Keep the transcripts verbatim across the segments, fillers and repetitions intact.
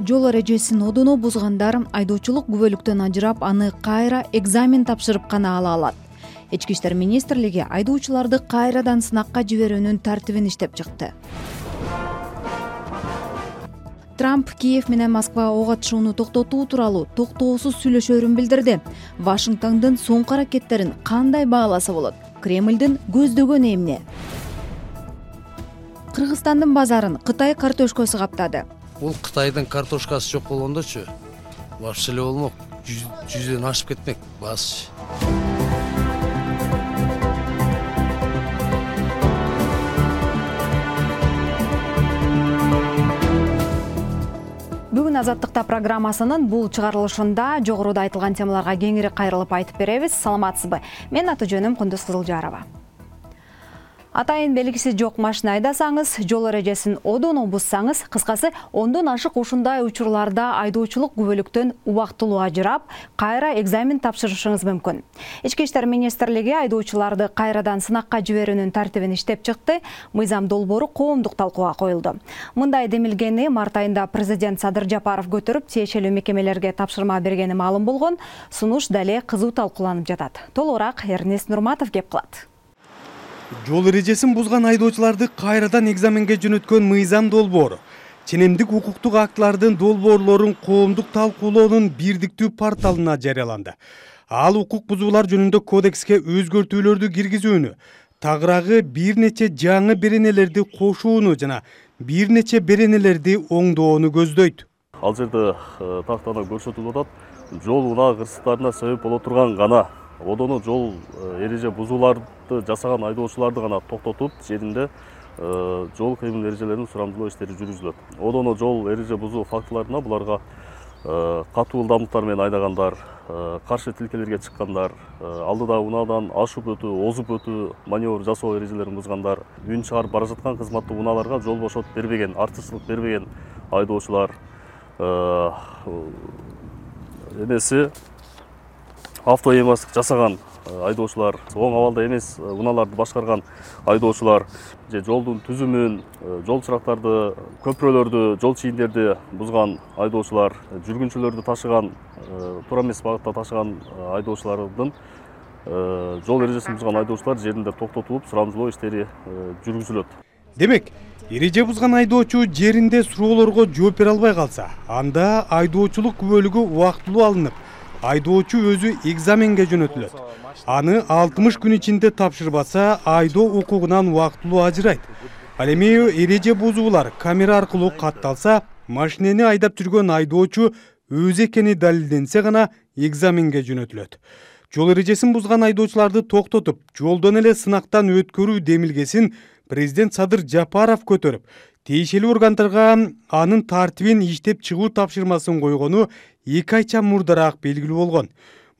Жол эрежесин одоно бузгандар айдоочулук күбөлүктөн ажырап, аны кайра экзамен тапшырып гана ала алат. Ички иштер министрлиги айдоочуларды кайрадан сынакка жиберүүнүн тартибин иштеп чыкты. Трамп Киев менен Москва ок атышууну токтотуу тууралуу токтоосуз сүйлөшөөрүн билдирди. Вашингтондун соңку аракеттерин кандай бааласа болот? Кремлдин көздөгөнү эмне? Кыргызстандын базарын Кытай картошкасы каптады. Бул Кытайдын картошкасы жок болгондочу вообще эле болмок. Жүздөн ашып кетмек баасы. Бүгүн Азаттыкта программасынын бул чыгарылышында жогоруда айтылган темаларга кеңири кайрылып айтып беребиз. Саламатсызбы? Мен аты жөнүм Кундуз Кызылжарова. Атайын белгиси жок машина айдасаңыз, жол эрежесин одоно бузсаңыз, кыскасы ондон ашык ушундай учурларда айдоочулук күбөлүктөн убактылуу ажырап, кайра экзамен тапшырышыңыз мүмкүн. Ички иштер министрлиги айдоочуларды кайрадан сынакка жиберүүнүн тартибин иштеп чыкты. Мыйзам долбоору коомдук талкууга коюлду. Мындай демилгени март айында президент Садыр Жапаров көтөрүп, тиешелүү мекемелерге тапшырма бергени маалым болгон. Сунуш дале кызуу талкууланып жатат. Толугураак Эрнест Нурматов кеп кылат. Жол эрежесин бузган айдоочуларды кайрадан экзаменге жөнөткөн мыйзам долбоору ченемдик укуктук актылардын долбоорлорун коомдук талкуулоонун бирдиктүү порталына жарыяланды. Ал укук бузуулар жөнүндө кодекске өзгөртүүлөрдү киргизүүнү, тагыраагы бир нече жаңы беренелерди кошууну жана бир нече беренелерди оңдоону көздөйт. Ал жерде тактада көрсөтүлүп атат, жол унаа кырсыктарына себеп боло турган гана одоно жол эреже бузууларды жасаган айдоочуларды гана токтотуп, жеринде жол кыймыл эрежелерин сурамжылоо иштери жүргүзүлөт. Одоно жол эреже бузуу фактыларына буларга катуу ылдамдыктар менен айдагандар, каршы тилкелерге чыккандар, алдыда унаадан ашып өтүү, озуп өтүү, маневр жасоо эрежелерин бузгандар, үн чыгарып бара жаткан кызматтуу унааларга жол бошотуп бербеген, артыкчылык бербеген айдоочулар, эмеси автоэймастык жасаган айдоочулар, оң абалда эмес унааларды башкарган айдоочулар, же жолдун түзүмүн, жол чырактарды, көпүрөлөрдү, жол чийимдерди бузган айдоочулар, жүргүнчүлөрдү ташыган, туура эмес багытта ташыган айдоочулардын, жол эрежесин бузган айдоочулар жеринде токтотулуп, сурамжылоо иштери жүргүзүлөт. Демек, эреже бузган айдоочу жеринде суроолорго жооп бере албай калса, анда айдоочулук күбөлүгү убактылуу алынып, айдоочу өзү экзаменге жөнөтүлөт. Аны алтымыш күн ичинде тапшырбаса, айдоо укугунан убактылуу ажырайт. Ал эми эреже бузуулар камера аркылуу катталса, машинени айдап жүргөн айдоочу өзү экени далилденсе гана экзаменге жөнөтүлөт. Жол эрежесин бузган айдоочуларды токтотуп, жолдон эле сынактан өткөрүү демилгесин президент Садыр Жапаров көтөрүп, тиешелүү органдарга анын тартибин иштеп чыгуу тапшырмасын койгону эки айча мурдараак белгилүү болгон.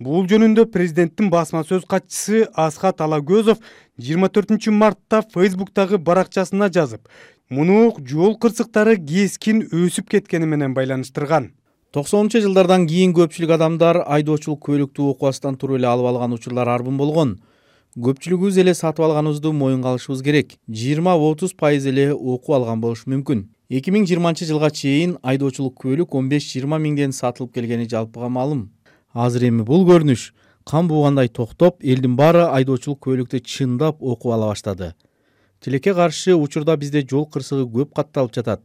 Бул жөнүндө президенттин басма сөз катчысы Асхат Алагөзов жыйырма төртүнчү мартта Фейсбуктагы баракчасына жазып, муну жол кырсыктары кескин өсүп кеткени менен байланыштырган. токсонунчу жылдардан кийин көпчүлүк адамдар айдоочулук күбөлүктү окубастан туруп эле алып алган учурлар арбын болгон. Көпчүлүгүбүз эле сатып алганыбызды моюнга алышыбыз керек. жыйырма отуз пайыз эле окуп алган болушу мүмкүн. эки миң жыйырманчы жылга чейин айдоочулук күбөлүк он беш жыйырма миңден сатылып келгени жалпыга маалым. Азыр эми бул көрүнүш кан буугандай токтоп, элдин баары айдоочулук күбөлүктү чындап окуп ала баштады. Тилекке каршы учурда бизде жол кырсыгы көп катталып жатат.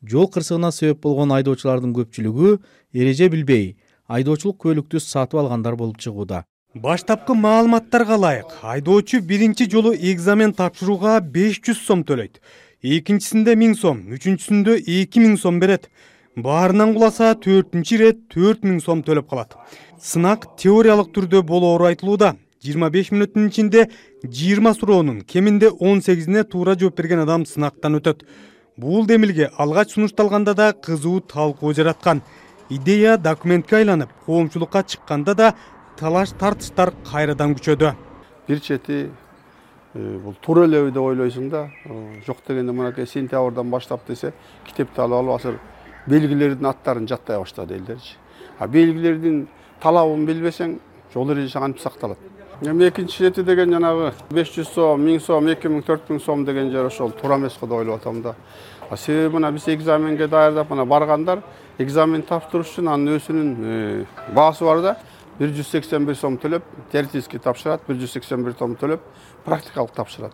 Жол кырсыгына себеп болгон айдоочулардын көпчүлүгү эреже билбей, айдоочулук күбөлүктү сатып алгандар болуп чыгууда. Баштапкы маалыматтарга ылайык, айдоочу биринчи жолу экзамен тапшырууга беш жүз сом төлөйт. Экинчисинде миң сом, үчүнчүсүндө эки миң сом берет. Баарынан куласа төртүнчү ирет төрт миң сом төлөп калат. Сынак теориялык түрдө болоору айтылууда. жыйырма беш мүнөттүн ичинде жыйырма суроонун кеминде он сегизине туура жооп берген адам сынактан өтөт. Бул демилге алгач сунушталганда да кызуу талкуу жараткан. Идея документке айланып, коомчулукка чыкканда да талаш тартыштар кайрадан күчөдү. Бир чети бул туура элеби деп ойлойсуң да, жок дегенде мынакей сентябрдан баштап десе, китепти алып алып азыр белгилердин аттарын жаттай баштады элдерчи. А белгилердин талабын билбесең, жол эрежеси кантип сакталат? Эми экинчи чети деген жанагы беш жүз сом, миң сом, эки миң, төрт миң сом деген жер ошол туура эмес го деп ойлоп атам да. Себеби мына биз экзаменге даярдап мына баргандар экзамен тапшырыш үчүн анын өзүнүн баасы бар да. бир жүз сексен бир сом төлөп, теоретический тапшырат, бир жүз сексен бир сом төлөп, практикалык тапшырат.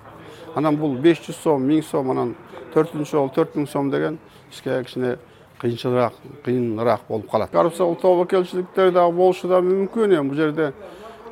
Анан бул беш жүз сом, миң сом, анан төртүнчү жолу төрт миң сом деген бизге кичине кыйынчыраак, кыйыныраак болуп калат. Коррупциялык тобокелчиликтер дагы болушу да мүмкүн. Эми бул жерде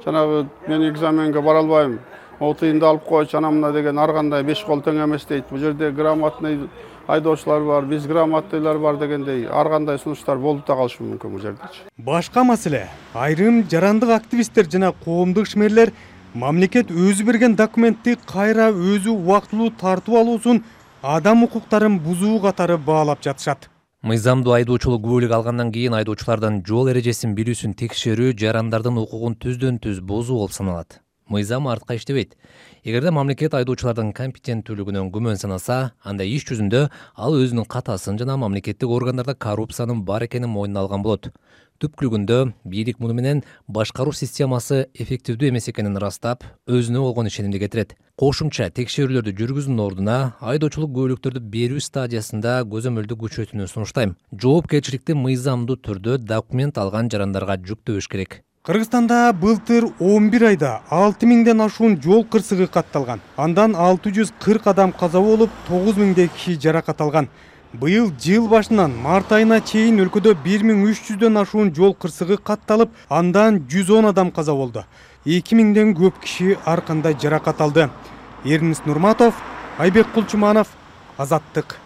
жанагы мен экзаменге бара албайм, о тыйынды алып койчу, анан мына деген ар кандай беш кол тең эмес дейт. Бул жерде грамотный айдоочулар бар, безграмотныйлар бар дегендей ар кандай сунуштар болуп да калышы мүмкүн бул жердечи. Башка маселе, айрым жарандык активисттер жана коомдук ишмерлер мамлекет өзү берген документти кайра өзү убактылуу тартып алуусун адам укуктарын бузуу катары баалап жатышат. Мыйзамдуу айдоочулук күбөлүк алгандан кийин айдоочулардан жол эрежесин билүүсүн текшерүү жарандардын укугун түздөн түз бузуу болуп саналат. Мыйзам артка иштебейт. Эгерде мамлекет айдоочулардын компетенттүүлүгүнөн күмөн санаса, анда иш жүзүндө ал өзүнүн катасын жана мамлекеттик органдарда коррупциянын бар экенин мойнуна алган болот. Түпкүлүгүндө бийлик муну менен башкаруу системасы эффективдүү эмес экенин ырастап, өзүнө болгон ишенимди кетирет. Кошумча текшерүүлөрдү жүргүзүүнүн ордуна айдоочулук күбөлүктөрдү берүү стадиясында көзөмөлдү күчөтүүнү сунуштайм. Жоопкерчиликти мыйзамдуу түрдө документ алган жарандарга жүктөбөш керек. Кыргызстанда былтыр он бир айда алты миңден ашуун жол кырсыгы катталган. Андан алты жүз кырк адам каза болуп, тогуз миңдей киши жаракат алган. Быйыл жыл башынан март айына чейин өлкөдө бир миң үч жүздөн ашуун жол кырсыгы катталып, андан жүз он адам каза болду. эки миңден көп киши ар кандай жаракат алды. Эрнис Нурматов, Айбек Кулчуманов, Азаттык.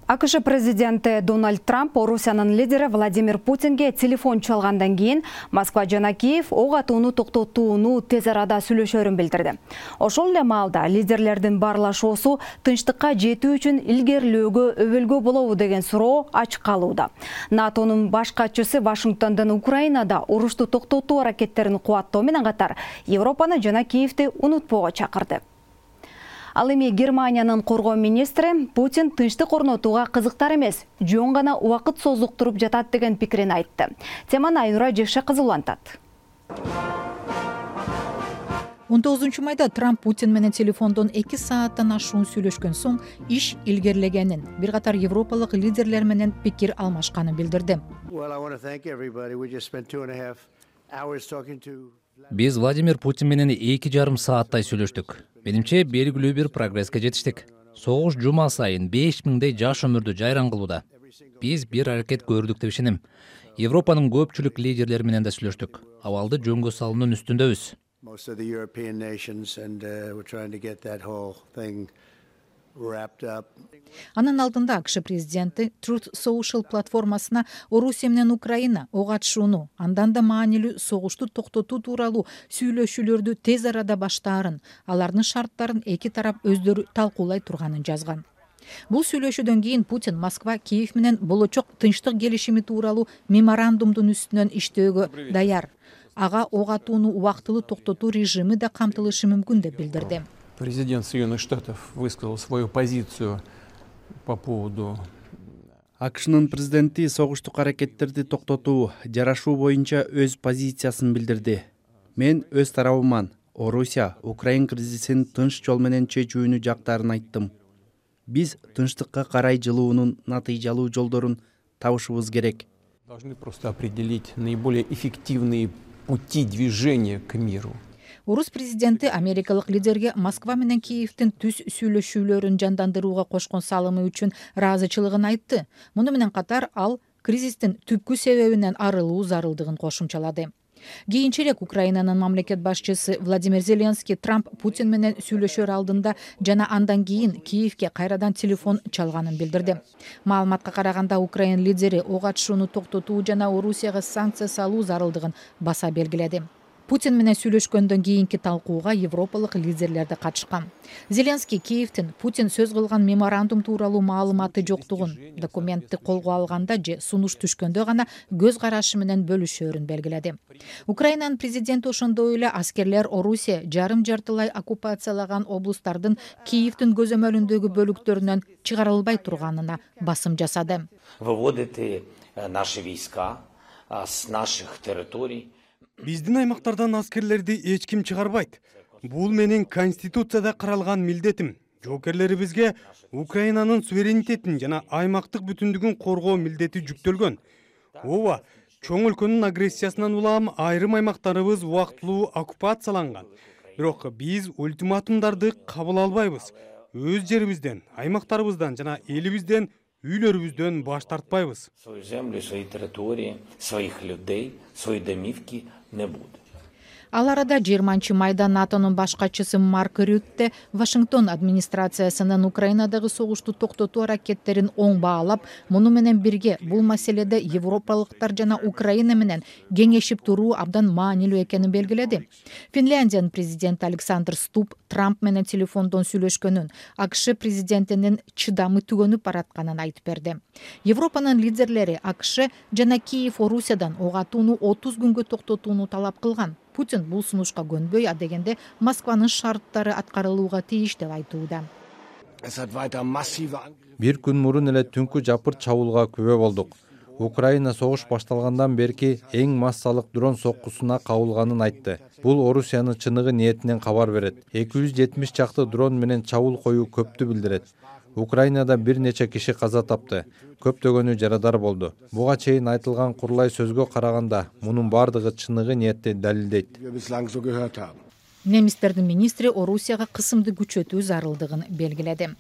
АКШ президенти Дональд Трамп Орусиянын лидери Владимир Путинге телефон чалгандан кийин Москва жана Киев ок атууну токтотууну тез арада сүйлөшөрүн билдирди. Ошол эле маалда лидерлердин баарлашуусу тынчтыкка жетүү үчүн илгерилөөгө өбөлгө болобу деген суроо ачык калууда. НАТОнун баш катчысы Вашингтондон Украинада урушту токтотуу аракеттерин кубаттоо менен катар Европаны жана Киевти унутпоого чакырды. Ал эми Германиянын коргоо министри Путин тынчтык орнотууга кызыктар эмес, жөн гана убакыт созуктуруп жатат деген пикирин айтты. Теманы Айнура Жекшекызы улантат. он тогузунчу майда Трамп Путин менен телефондон эки сааттан ашуун сүйлөшкөн соң иш илгерилегенин, бир катар европалык лидерлер менен пикир алмашканын билдирди. Биз Владимир Путин менен эки жарым сааттай сүйлөштүк. Менимче белгилүү бир прогресске жетиштик. Согуш жума сайын беш миңдей жаш өмүрдү жайран кылууда. Биз бир аракет көрдүк деп ишенем. Европанын көпчүлүк лидерлери менен да сүйлөштүк. Абалды жөнгө салуунун үстүндөбүз. Анын алдында АКШ президенти Truth Social платформасына Орусия менен Украина ок атышууну, андан да маанилүү согушту токтотуу тууралуу сүйлөшүүлөрдү тез арада баштаарын, алардын шарттарын эки тарап өздөрү талкуулай турганын жазган. Бул сүйлөшүүдөн кийин Путин Москва Киев менен болочок тынчтык келишими тууралуу меморандумдун үстүнөн иштөөгө даяр. Ага ок атууну убактылуу токтотуу режими да камтылышы мүмкүн деп билдирди. Президент Соединенных Штатов высказал свою позицию по поводу АКШнын президенти согуштук аракеттерди токтотуу, жарашуу боюнча өз позициясын билдирди. Мен өз тарабыман Орусия, Украин кризисин тынч жол менен чечүүнү жактарын айттым. Биз тынчтыкка карай жылуунун натыйжалуу жолдорун табышыбыз керек. Должны просто определить наиболее эффективные пути движения к миру. Орус президенти америкалык лидерге Москва менен Киевтин түз сүйлөшүүлөрүн жандандырууга кошкон салымы үчүн ыраазычылыгын айтты. Муну менен катар ал кризистин түпкү себебинен арылуу зарылдыгын кошумчалады. Кийинчерээк Украинанын мамлекет башчысы Владимир Зеленский Трамп Путин менен сүйлөшөр алдында жана андан кийин Киевке кайрадан телефон чалганын билдирди. Маалыматка караганда Украин лидери ок атышууну токтотуу жана Орусияга санкция салуу зарылдыгын баса белгиледи. Путин менен сүйлөшкөндөн кийинки талкууга европалык лидерлер да катышкан. Зеленский Киевтин Путин сөз кылган меморандум тууралуу маалыматы жоктугун, документти колго алганда же сунуш түшкөндө гана көз карашы менен бөлүшөөрүн белгиледи. Украинанын президенти ошондой эле аскерлер Орусия жарым жартылай оккупациялаган облустардын Киевтин көзөмөлүндөгү бөлүктөрүнөн чыгарылбай турганына басым жасады. Выводите наши войска с наших территорий. Биздин аймактардан аскерлерди эч ким чыгарбайт. Бул менин конституцияда каралган милдетим. жоокерлерибизге Украинанын суверенитетин жана аймактык бүтүндүгүн коргоо милдети жүктөлгөн. Ооба, чоң өлкөнүн агрессиясынан улам айрым аймактарыбыз убактылуу оккупацияланган. Бирок биз ультиматумдарды кабыл албайбыз. Өз жерибизден, аймактарыбыздан жана элибизден, үйлөрүбүздөн баш тартпайбыз. Свою землю, свои территории, своих людей, свои домивки не будет. Ал арада жыйырманчы майда НАТОнун баш катчысы Марк Рютте Вашингтон администрациясынын Украинадагы согушту токтотуу аракеттерин оң баалап, муну менен бирге бул маселеде европалыктар жана Украина менен кеңешип туруу абдан маанилүү экенин белгиледи. Финляндиянын президенти Александр Стуб Трамп менен телефондон сүйлөшкөнүн, АКШ президентинин чыдамы түгөнүп баратканын айтып берди. Европанын лидерлери АКШ жана Киев Орусиядан ок атууну отуз күнгө токтотууну талап кылган. Путин бул сунушка көнбөй, адегенде Москванын шарттары аткарылууга тийиш деп айтууда. Бир күн мурун эле түнкү жапырт чабуулга күбө болдук. Украина согуш башталгандан берки эң массалык дрон соккусуна кабылганын айтты. Бул Орусиянын чыныгы ниетинен кабар берет. эки жүз жетимиш чакты дрон менен чабуул коюу көптү билдирет. Украинада бир нече киши каза тапты, көптөгөнү жарадар болду. Буга чейин айтылган курулай сөзгө караганда, мунун бардыгы чыныгы ниетти далилдейт. Немистердин министри Орусияга кысымды күчөтүү зарылдыгын белгиледи.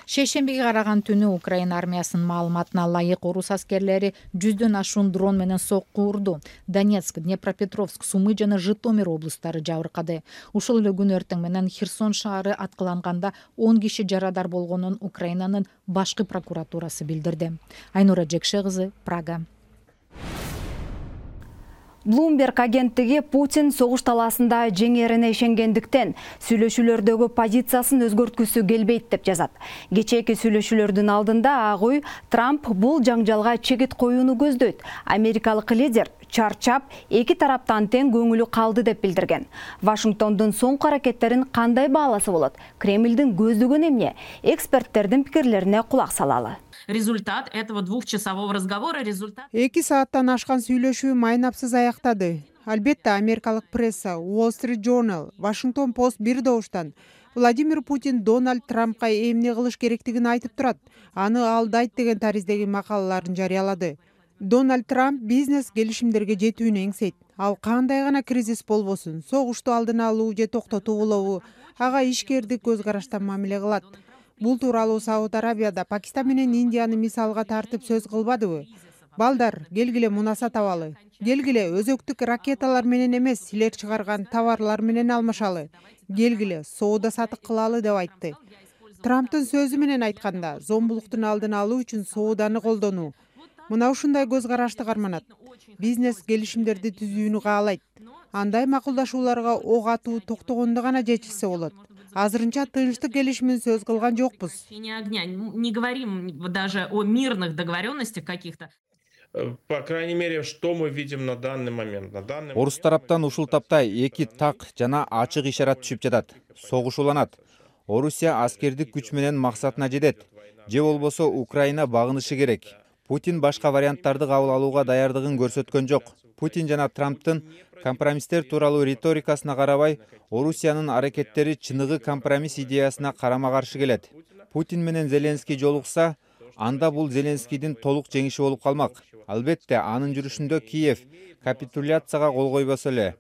Шейшембиге караган түнү Украина армиясынын маалыматына ылайык орус аскерлери жүздөн ашуун дрон менен сокку урду. Донецк, Днепропетровск, Сумы жана Житомир облустары жабыркады. Ушул эле күн эртең менен Херсон шаары аткыланганда он киши жарадар болгонун Украинанын башкы прокуратурасы билдирди. Айнура Жекше кызы, Прага. Bloomberg агенттиги Путин согуш талаасында жеңерине ишенгендиктен сүйлөшүүлөрдөгү позициясын өзгөрткүсү келбейт деп жазат. Кечээки сүйлөшүүлөрдүн алдында Ак үй Трамп бул жаңжалга чегит коюуну көздөйт. Америкалык лидер чарчап, эки тараптан тең көңүлү калды деп билдирген. Вашингтондун соңку аракеттерин кандай бааласа болот? Кремлдин көздөгөнү эмне? Эксперттердин пикирлерине кулак салалы. Результат этого двухчасового разговора результат. Эки сааттан ашкан сүйлөшүү майнапсыз аяктады. Албетте, америкалык пресса, Wall Street Journal, Washington Post бир добуштан Владимир Путин Дональд Трампка эмне кылыш керектигин айтып турат, аны алдайт деген тариздеги макалаларын жарыялады. Дональд Трамп бизнес келишимдерге жетүүнү эңсейт. Ал кандай гана кризис болбосун, согушту алдын алуу же токтотуу болобу, ага ишкердик көз караштан мамиле кылат. Бул тууралуу Сауд Арабияда Пакистан менен Индияны мисалга тартып сөз кылбадыбы? Балдар, келгиле мунаса табалы. Келгиле өзөктүк ракеталар менен эмес, силер чыгарган товарлар менен алмашалы. Келгиле соода сатык кылалы деп айтты. Трамптын сөзү менен айтканда, зомбулуктун алдын алуу үчүн сооданы колдонуу. Мына ушундай көз карашты карманат. Бизнес келишимдерди түзүүнү каалайт. Андай макулдашууларга ок атуу токтогондо гана жетишсе болот. Азырынча тынчтык келишимин сөз кылган жокпуз. Не говорим даже о мирных договоренностях каких-то. По крайней мере, что мы видим на данный момент. На данный момент... Орус тараптан ушул тапта эки так жана ачык ишарат түшүп жатат. Согушууланат. Орусия аскердик күч менен максатына жетет. Же болбосо Украина багынышы керек. Путин башка варианттарды кабыл алууга даярдыгын көрсөткөн жок. Путин жана Трамптын компромисстер тууралуу риторикасына карабай, Орусиянын аракеттери чыныгы компромисс идеясына карама-каршы келет. Путин менен Зеленский жолукса, анда бул Зеленскийдин толук жеңиши болуп калмак. Албетте, анын жүрүшүндө Киев капитуляцияга кол койбосо эле.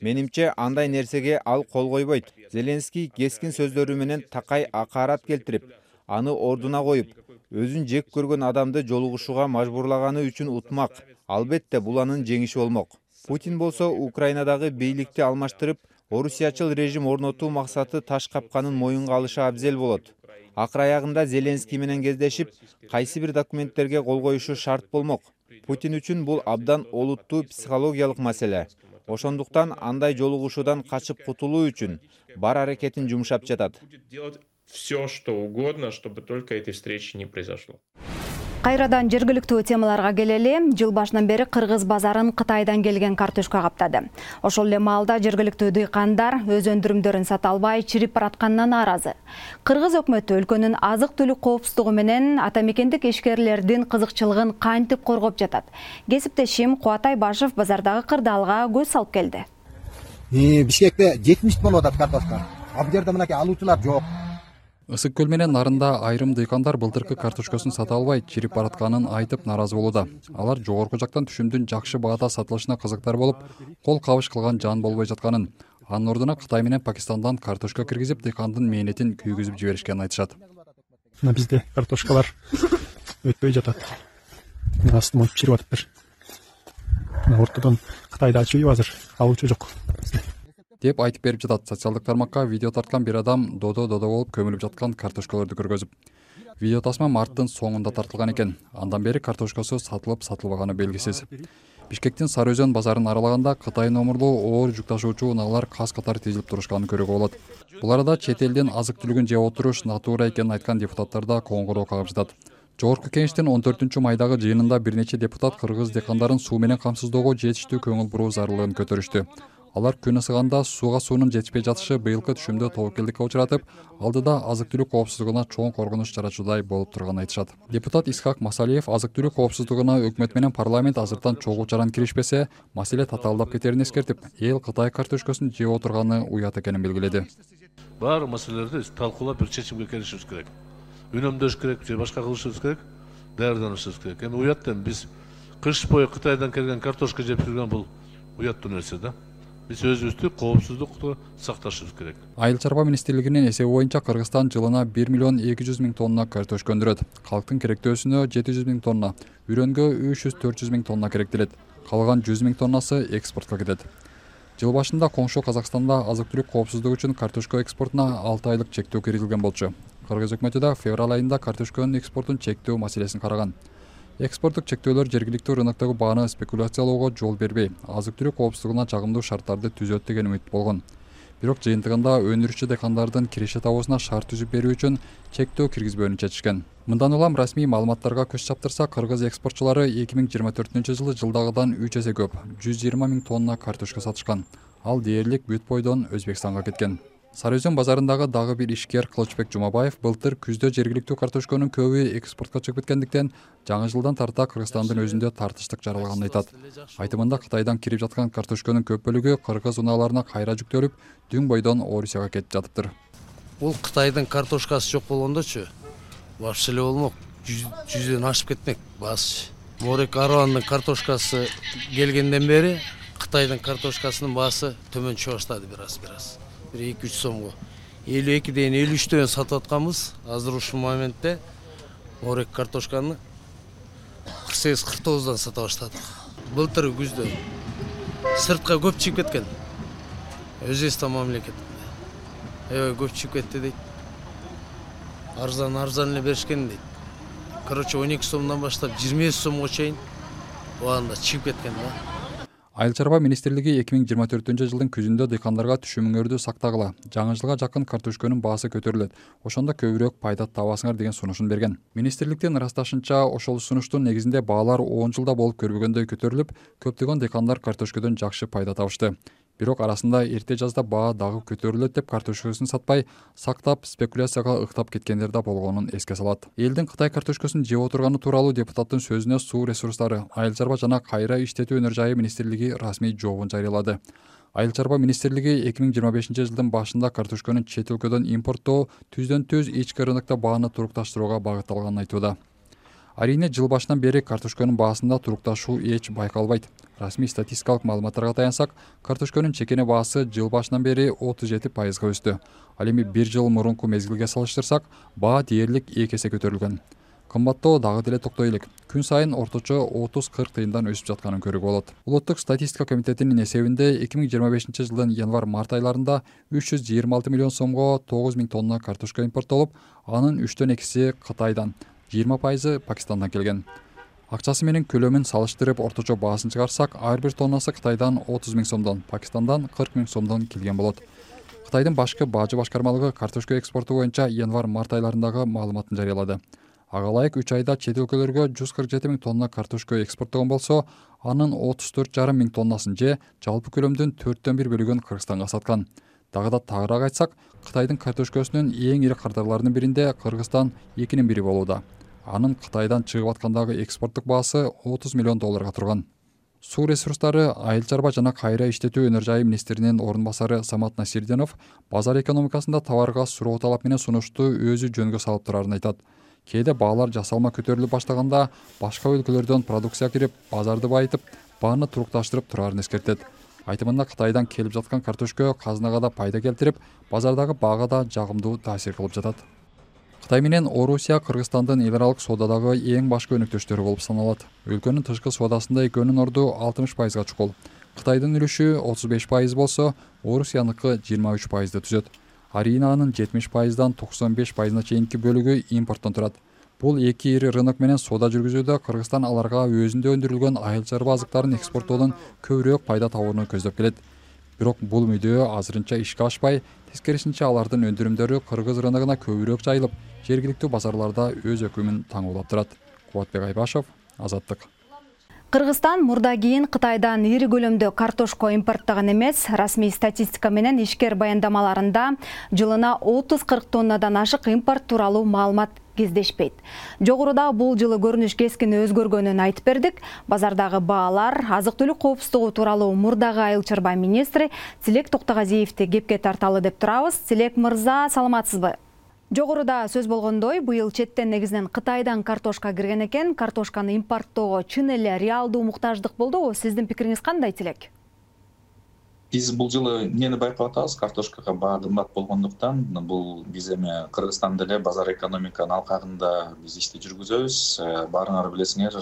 Менимче, андай нерсеге ал кол койбойт. Зеленский кескин сөздөрү менен такай акарат келтирип, аны ордуна коюп, өзүн жек көргөн адамды жолугушууга мажбурлаганы үчүн утмак. Албетте, бул анын жеңиши болмок. Путин болсо Украинадагы бийликти алмаштырып, орусиячыл режим орнотуу максаты таш капканын моюнга алышы абзел болот. Акыр аягында Зеленский менен кездешип, кайсы бир документтерге кол коюшу шарт болмок. Путин үчүн бул абдан олуттуу психологиялык маселе. Ошондуктан андай жолугушуудан качып кутулуу үчүн бар аракетин жумшап жатат. Все, что угодно, чтобы только этой встречи не произошло. Кайрадан жергиликтүү темаларга келели. Жыл башынан бери Кыргыз базарын Кытайдан келген картошка каптады. Ошол эле маалда жергиликтүү дыйкандар өз өндүрүмдөрүн сата албай чирип баратканынан нааразы. Кыргыз өкмөтү өлкөнүн азык-түлүк коопсуздугу менен ата мекендик ишкерлердин кызыкчылыгын кантип коргоп жатат? Кесиптешим Кубатай Башев базардагы кырдаалга көз салып келди. Бишкекте жетимиш болуп атат картошка. Ал жерде мынакей алуучулар жок. Ысык көл менен нарында айрым дыйкандар былтыркы картошкасын сата албай чирип баратканын айтып нааразы болууда. Алар жогорку жактан түшүмдүн жакшы баада сатылышына кызыктар болуп, кол кабыш кылган жан болбой жатканын, анын ордуна Кытай менен Пакистандан картошка киргизип дыйкандын мээнетин күйгүзүп жиберишкенин айтышат. Мына бизде картошкалар өтпөй жатат. Астын монтуп чирип атыптыр. Ортодон Кытайда чыйып азыр алуучу жок деп айтып берип жатат социалдык тармакка видео тарткан бир адам додо додо болуп көмүлүп жаткан картошкаларды көргөзүп. Видео тасма марттын соңунда тартылган экен. Андан бери картошкасы сатылып сатылбаганы белгисиз. Бишкектин Сары Өзөн базарын аралаганда Кытай номурлуу оор жүк ташуучу унаалар кас катар тизилип турушканын көрүүгө болот. Бул арада чет элдин азык-түлүгүн жеп отуруш натура экенин айткан депутаттар да коңгуроо кагып жатат. Жогорку кеңештин он төртүнчү майдагы жыйынында бир нече депутат кыргыз дыйкандарын суу менен камсыздоого жетиштүү көңүл буруу зарылыгын көтөрүштү. Алар күн ысыганда сууга суунун жетишпей жатышы быйылкы түшүмдө тобокелдикке учуратып, алдыда азык-түлүк коопсуздугуна чоң коркунуч жарачуудай болуп турганын айтышат. Депутат Исхак Масалиев азык-түлүк коопсуздугуна өкмөт менен парламент азыртан чогуу чаран киришпесе, маселе татаалдап кетерин эскертип, эл Кытай картошкасын жеп отурганы уят экенин белгиледи. Баары маселелерди талкуулап бир чечимге келишибиз керек. Үнөмдөш керек же башка кылышыбыз керек, даярданышыбыз керек. Эми уяттан биз кыш бою Кытайдан келген картошка жеп жүргөн бул уяттуу нерсе да. Биз өзүбүздү коопсуздукту сакташыбыз керек. Айыл чарба министрлигинин эсеби боюнча Кыргызстан жылына бир миллион эки жүз миң тонна картошка өндүрөт. Калктын керектөөсүнө жети жүз миң тонна, үрөнгө үч жүз төрт жүз миң тонна керектелет. Калган жүз миң тоннасы экспортко кетет. Жыл башында коңшу Казакстанда азык-түлүк коопсуздугу үчүн картошка экспортуна алты айлык чектөө киргизилген болчу. Кыргыз өкмөтү да февраль айында картошканын экспортун чектөө маселесин караган. Экспорттук чектөөлөр жергиликтүү рыноктогу бааны спекуляциялоого жол бербей, азык-түлүк коопсуздугуна жагымдуу шарттарды түзөт деген үмүт болгон. Бирок жыйынтыгында өнүрүүчү дыйкандардын киреше табуусуна шарт түзүп берүү үчүн чектөө киргизбөөнү чечишкен. Мындан улам расмий маалыматтарга көз чаптырса, кыргыз экспортчулары эки миң жыйырма төртүнчү жылы жылдагыдан үч эсе көп, жүз жыйырма миң тонна картошка сатышкан. Ал дээрлик бүт бойдон Өзбекстанга кеткен. Сары Өзөн базарындагы дагы бир ишкер Кылычбек Жумабаев былтыр күздө жергиликтүү картошканын көбү экспортко чыгып кеткендиктен жаңы жылдан тарта Кыргызстандын өзүндө тартыштык жаралганын айтат. Айтымында Кытайдан кирип жаткан картошканын көп бөлүгү кыргыз унааларына кайра жүктөлүп, дүң бойдон Орусияга кетип жатыптыр. Бул Кытайдын картошкасы жок болгондочу вообще эле болмок, жүздөн ашып кетмек баасы. Морек Аруандын картошкасы келгенден бери Кытайдын картошкасынын баасы төмөн чыга баштады бир-аз-бир-аз. эки үч сомго элүү экиден элүү үчтөн сатып атканбыз. Азыр ушул моментте морек картошканы кырк сегиз кырк тогуздан сата баштадык. Былтыр күздө сыртка көп чыгып кеткен. Өзбекстан мамлекетинде. Эбей көп чыгып кетти дейт. Арзан арзан эле беришкен дейт. Короче он эки сомдон баштап жыйырма беш сомго чейин убагында чыгып кеткен да. Айыл чарба министрлиги эки миң жыйырма төртүнчү жылдын күзүндө дыйкандарга түшүмүңөрдү сактагыла, жаңы жылга жакын картошканын баасы көтөрүлөт, ошондо көбүрөөк пайда табасыңар деген сунушун берген. Министрликтин ырасташынча, ошол сунуштун негизинде баалар он жылда болуп көрбөгөндөй көтөрүлүп, көптөгөн дыйкандар картошкадан жакшы пайда табышты. Бирок арасында эрте жазда баа дагы көтөрүлөт деп картошкасын сатпай, сактап, спекуляцияга ыктап кеткендер да болгонун эске салат. Элдин Кытай картошкасын жеп отурганы тууралуу депутаттын сөзүнө Суу ресурстары, Айыл чарба жана кайра иштетүү өнөр жайы министрлиги расмий жообун жарыялады. Айыл чарба министрлиги эки миң жыйырма бешинчи жылдын башында картошканын чет өлкөдөн импорттоо түздөн түз ички рынокто бааны турукташтырууга багытталганын айтууда. Арийне жыл башынан бери картошканын баасында турукташуу эч байкалбайт. Расмий статистикалык маалыматтарга таянсак, картошканын чекене баасы жыл башынан бери отуз жети пайызга өстү. Ал эми бир жыл мурунку мезгилге салыштырсак, баа дээрлик эки эсе көтөрүлгөн. Кымбаттоо дагы деле токтой элек. Күн сайын орточо отуз кырк тыйындан өсүп жатканын көрүүгө болот. Улуттук статистика комитетинин эсебинде эки миң жыйырма бешинчи жылдын январь-март айларында үч жүз жыйырма алты миллион сомго тогуз миң тонна картошка импорттолуп, анын үчтөн экиси Кытайдан, жыйырма пайызы Пакистандан келген. Акчасы менен көлөмүн салыштырып орточо баасын чыгарсак, ар бир тоннасы Кытайдан отуз миң сомдон, Пакистандан кырк миң сомдон келген болот. Кытайдын башкы баажы башкармалыгы картошка экспорту боюнча январь-март айларындагы маалыматын жарыялады. Ага ылайык үч айда чет өлкөлөргө жүз кырк жети миң тонна картошка экспорттогон болсо, анын отуз төрт жарым миң тоннасын же жалпы көлөмдүн төрттөн бир бөлүгүн Кыргызстанга саткан. Дагы да тагыраак айтсак, Кытайдын картошкасынын эң ири кардарларынын биринде Кыргызстан экинин бири болууда. Анын Кытайдан чыгып аткандагы экспорттук баасы отуз миллион долларга турган. Суу ресурстары, айыл чарба жана кайра иштетүү өнөр жайы министринин орун басары Самат Насирдинов базар экономикасында товарга суроо талап менен сунушту өзү жөнгө салып турарын айтат. Кээде баалар жасалма көтөрүлүп баштаганда башка өлкөлөрдөн продукция кирип, базарды байытып, бааны турукташтырып турарын эскертет. Айтымында Кытайдан келип жаткан картошка казынага да пайда келтирип, базардагы баага да жагымдуу таасир кылып жатат. Кытай менен Орусия Кыргызстандын эл аралык соодадагы эң башкы өнөктөштөрү болуп саналат. Өлкөнүн тышкы соодасында экөөнүн орду алтымыш пайызга чукул. Кытайдын үлүшү отуз беш пайыз болсо, Орусияныкы жыйырма үч пайызды түзөт. Аринанын жетимиш пайыздан токсон беш пайызына чейинки бөлүгү импорттон турат. Бул эки ири рынок менен соода жүргүзүүдө Кыргызстан аларга өзүндө өндүрүлгөн айыл чарба азыктарын экспорттоодон көбүрөөк пайда табууну көздөп келет. Бирок бул мүдөө азырынча ишке ашпай, тескерисинче алардын өндүрүмдөрү Кыргыз рыногуна көбүрөөк жайылып, жергиликтүү базарларда өз өкүмүн таңуулап турат. Кубатбек Айбашев, Азаттык. Кыргызстан мурда кийин Кытайдан ири көлөмдө картошко импорттогон эмес. Расмий статистика менен ишкер баяндамаларында жылына отуз кырк тоннадан ашык импорт тууралуу маалымат кездешпейт. Жогоруда бул жылы көрүнүш кескин өзгөргөнүн айтып бердик. Базардагы баалар, азык-түлүк коопсуздугу тууралуу мурдагы айыл чарба министри Тилек Токтогазиевди кепке тарталы деп турабыз. Тилек мырза, саламатсызбы? Жогоруда сөз болгондой, быйыл четтен негизинен Кытайдан картошка кирген экен. Картошканы импорттоого чын эле реалдуу муктаждык болдубу? Сиздин пикириңиз кандай, Тилек? Биз бул жылы эмнени байкап атабыз? Картошкага баа кымбат болгондуктан, бул биз эми Кыргызстанда эле базар экономиканын алкагында биз ишти жүргүзөбүз. Баарыңар билесиңер,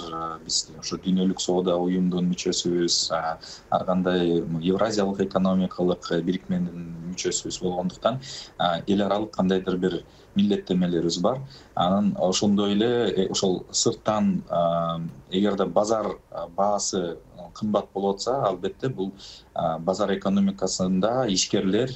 биз ошо дүйнөлүк соода уюмдун мүчөсүбүз, ар кандай Евразиялык экономикалык бирикменин мүчөсүбүз болгондуктан, эл аралык кандайдыр бир милдеттемелерибиз бар. Анан ошондой эле ошол сырттан эгерде базар баасы кымбат болуп атса, албетте бул базар экономикасында ишкерлер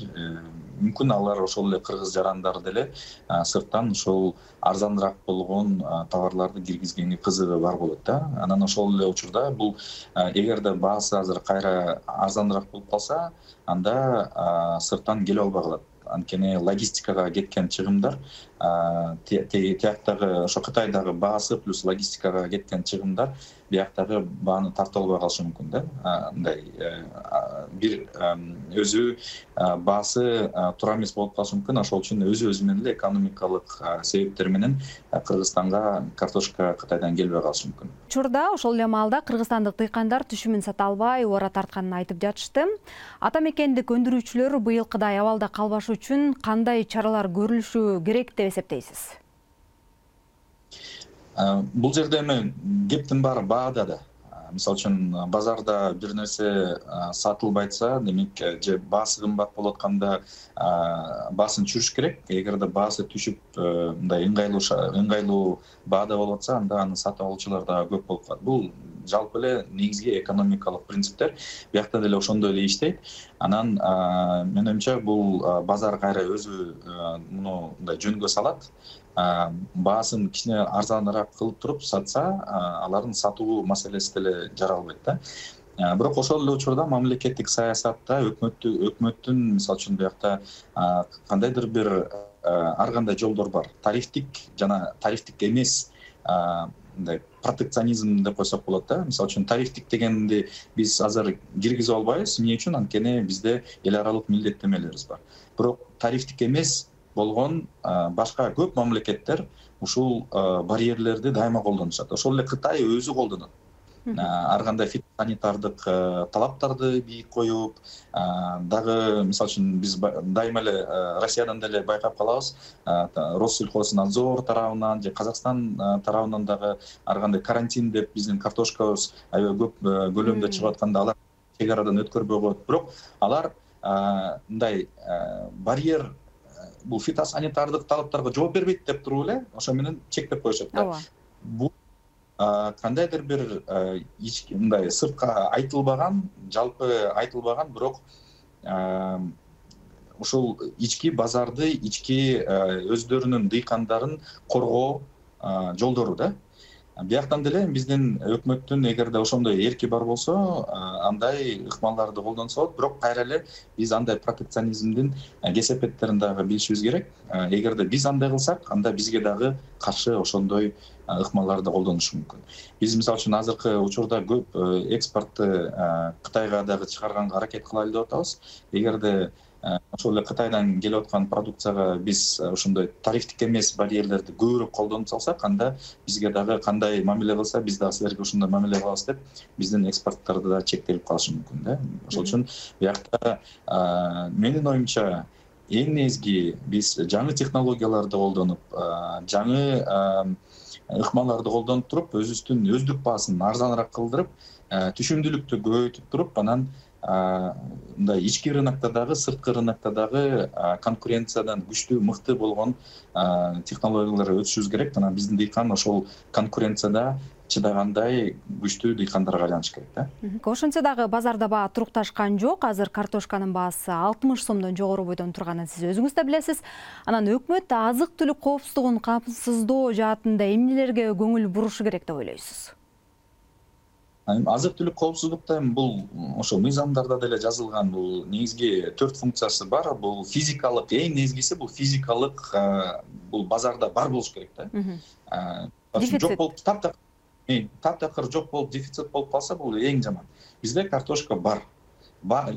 мүмкүн алар ошол эле кыргыз жарандар деле сырттан ошол арзаныраак болгон товарларды киргизгенге кызыгы бар болот да. Анан ошол эле учурда бул эгерде баасы азыр кайра арзаныраак болуп калса, анда сырттан келип албай калат. Анткени логистикага кеткен чыгымдар, тияктагы ошо Кытайдагы баасы плюс логистикага кеткен чыгымдар бияктагы бааны тартып албай калышы мүмкүн да. Мындай бир өзү баасы туура эмес болуп калышы мүмкүн. Ошол үчүн өзү өзү менен эле экономикалык себептер менен Кыргызстанга картошка Кытайдан келбей калышы мүмкүн. Учурда ошол эле маалда кыргызстандык дыйкандар түшүмүн сата албай, ора тартканын айтып жатышты. Ата мекендик өндүрүүчүлөр быйылкыдай абалда калбаш үчүн кандай чаралар көрүлүшү керек деп эсептейсиз? Бул жерде эми кептин баары баада да. Мисалы үчүн базарда бир нерсе сатылбай атса, демек же баасы кымбат болуп атканда баасын түшүрүш керек. Эгерде баасы түшүп, мындай ыңгайлуу ыңгайлуу баада болуп атса, анда аны сатып алуучулар да көп болуп калат. Бул жалпы эле негизги экономикалык принциптер. Биякта деле ошондой эле иштейт. Анан менин оюмча бул базар кайра өзү муну мындай жөнгө салат. Баасын кичине арзаныраак кылып туруп сатса, алардын сатуу маселеси деле жаралбайт да. Бирок ошол эле учурда мамлекеттик саясатта өкмөттү өкмөттүн мисалы үчүн биякта кандайдыр бир ар кандай жолдор бар. Тарифтик жана тарифтик эмес мындай протекционизм деп койсок болот да. Мисалы үчүн тарифтик дегенди биз азыр киргизе албайбыз. Эмне үчүн? Анткени бизде эл аралык милдеттемелерибиз бар. Бирок тарифтик эмес болгон башка көп мамлекеттер ушул барьерлерди дайыма колдонушат. Ошол эле Кытай өзү колдонот. Ар кандай фитосанитардык талаптарды бийик коюп, дагы мисалы үчүн биз дайыма эле Россиядан деле байкап калабыз. Россельхознадзор тарабынан же Казакстан тарабынан дагы ар кандай карантин деп биздин картошкабыз аябай көп көлөмдө чыгып атканда алар чек арадан өткөрбөй коет. Бирок алар мындай барьер бул фитосанитардык талаптарга жооп бербейт деп туруп эле ошо менен чектеп коюшат да. Бул кандайдыр бир мындай сыртка айтылбаган, жалпы айтылбаган, бирок ушул ички базарды, ички өздөрүнүн дыйкандарын коргоо жолдору да. Бияктан деле биздин өкмөттүн эгерде ошондой эрки бар болсо, андай ыкмаларды колдонсо болот. Бирок кайра эле биз андай протекционизмдин кесепеттерин дагы билишибиз керек. Эгерде биз андай кылсак, анда бизге дагы каршы ошондой ыкмаларды колдонушу мүмкүн. Биз мисалы үчүн азыркы учурда көп экспортты Кытайга дагы чыгарганга аракет кылайлы деп атабыз. Эгерде ошол эле Кытайдан келип аткан продукцияга биз ошондой тарифтик эмес барьерлерди көбүрөөк колдонуп салсак, анда бизге дагы кандай мамиле кылса, биз дагы силерге ошондой мамиле кылабыз деп биздин экспорттарды да чектелип калышы мүмкүн да. Ошол үчүн биякта менин оюмча эң негизги биз жаңы технологияларды колдонуп, жаңы ыкмаларды колдонуп туруп, өзүбүздүн өздүк баасын арзаныраак кылдырып, түшүмдүүлүктү көбөйтүп туруп, анан мындай ички рынокто дагы, сырткы рынокто дагы конкуренциядан күчтүү, мыкты болгон технологияларга өтүшүбүз керек. Анан биздин дыйкан ошол конкуренцияда чыдагандай күчтүү дыйкандарга айланыш керек да. Ошентсе дагы базарда баа турукташкан жок. Азыр картошканын баасы алтымыш сомдон жогору бойдон турганын сиз өзүңүз да билесиз. Анан өкмөт азык-түлүк коопсуздугун камсыздоо жаатында эмнелерге көңүл бурушу керек деп ойлойсуз? Азык-түлүк коопсуздукта бул ошо мыйзамдарда деле жазылган, бул негизги төрт функциясы бар. Бул физикалык, эң негизгиси бул физикалык, бул базарда бар болуш керек да. Жок болуп таптакыр, таптакыр жок болуп дефицит болуп калса, бул эң жаман. Бизде картошка бар.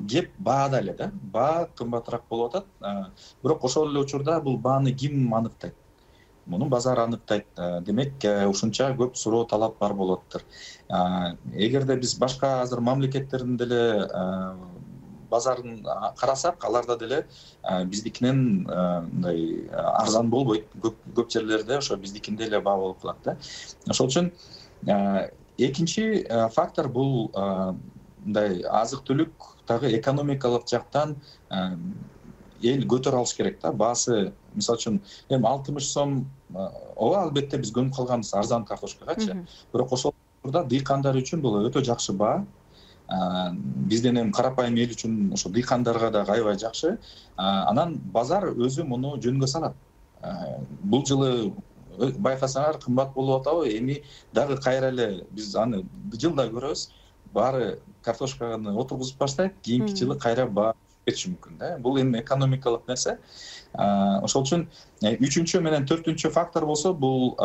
Кеп баада эле да. Баа кымбатыраак болуп атат. Бирок ошол эле учурда бул бааны ким аныктайт? Муну базар аныктайт. Демек, ушунча көп суроо талап бар болоттур. Эгерде биз башка азыр мамлекеттердин деле базарын карасак, аларда деле биздикинен мындай арзан болбойт. Көп жерлерде ошо биздикинде эле баа болуп калат да. Ошол үчүн экинчи фактор бул мындай азык-түлүк дагы экономикалык жактан эл көтөрө алыш керек да. Баасы мисалы үчүн эми алтымыш сом, ооба албетте биз көнүп калганбыз арзан картошкагачы. Бирок ошол учурда дыйкандар үчүн бул өтө жакшы баа. Бизден эми карапайым эл үчүн ошо дыйкандарга дагы аябай жакшы. Анан базар өзү муну жөнгө салат. Бул жылы байкасаңар кымбат болуп атабы? Эми дагы кайра эле биз аны жылда көрөбүз. Баары картошканы отургузуп баштайт, кийинки жылы кайра баа кетиши мүмкүн да. Бул эми экономикалык нерсе. Ошол үчүн үчүнчү менен төртүнчү фактор болсо, бул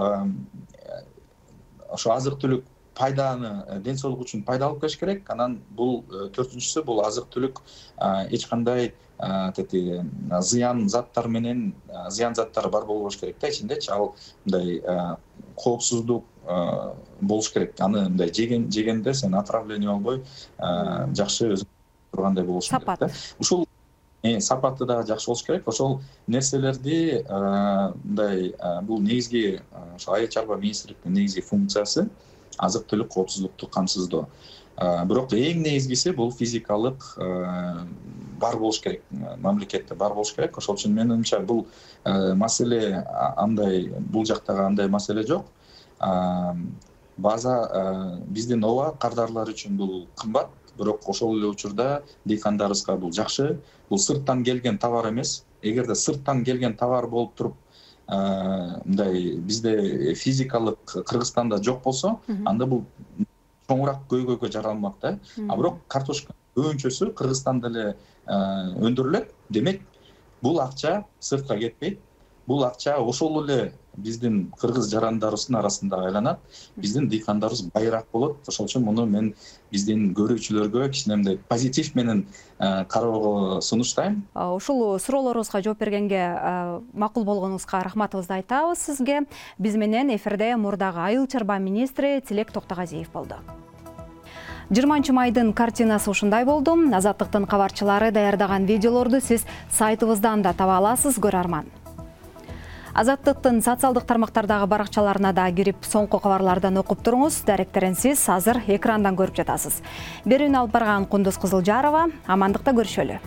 ошо азык-түлүк пайданы, ден соолук үчүн пайда алып келиш керек. Анан бул төртүнчүсү бул азык-түлүк эч кандай тети зыян заттар менен зыян заттары бар болбош керек да ичиндечи. Ал мындай коопсуздук болуш керек. Аны мындай жеген жегенде сен отравление болбой жакшы өзүң тургандай болуш керек да. Ушул сапаты дагы жакшы болуш керек. Ошол нерселерди мындай бул негизги ошо айыл чарба министрликтин негизги функциясы азык-түлүк коопсуздукту камсыздоо. Бирок эң негизгиси бул физикалык бар болуш керек, мамлекетте бар болуш керек. Ошол үчүн менин оюмча бул маселе андай, бул жактагы андай маселе жок. База биздин ооба кардарлар үчүн бул кымбат, бирок ошол эле учурда дыйкандарыбызга бул жакшы. Бул сырттан келген товар эмес. Эгерде сырттан келген товар болуп туруп, мындай бизде физикалык Кыргызстанда жок болсо, анда бул чоңураак көйгөйгө жаралмак да. А бирок картошка көбүнчөсү Кыргызстанда эле өндүрүлөт. Демек, бул акча сыртка кетпейт. Бул акча ошол эле биздин кыргыз жарандарыбыздын арасында айланат. Биздин дыйкандарыбыз байыраак болот. Ошол үчүн муну мен биздин көрүүчүлөргө кичине мындай позитив менен кароого сунуштайм. Ушул суроолорубузга жооп бергенге макул болгонуңузга рахматыбызды айтабыз сизге. Биз менен эфирде мурдагы айыл чарба министри Тилек Токтогазиев болду. жыйырманчы майдын картинасы ушундай болду. Азаттыктын кабарчылары даярдаган видеолорду сиз сайтыбыздан да таба аласыз, көрөрман. Азаттыктын социалдык тармактардагы баракчаларына да кирип, соңку кабарлардан окуп туруңуз. Даректерин сиз азыр экрандан көрүп жатасыз. Берүүнү алып барган Кундуз Кызылжарова. Амандыкта көрүшөлү.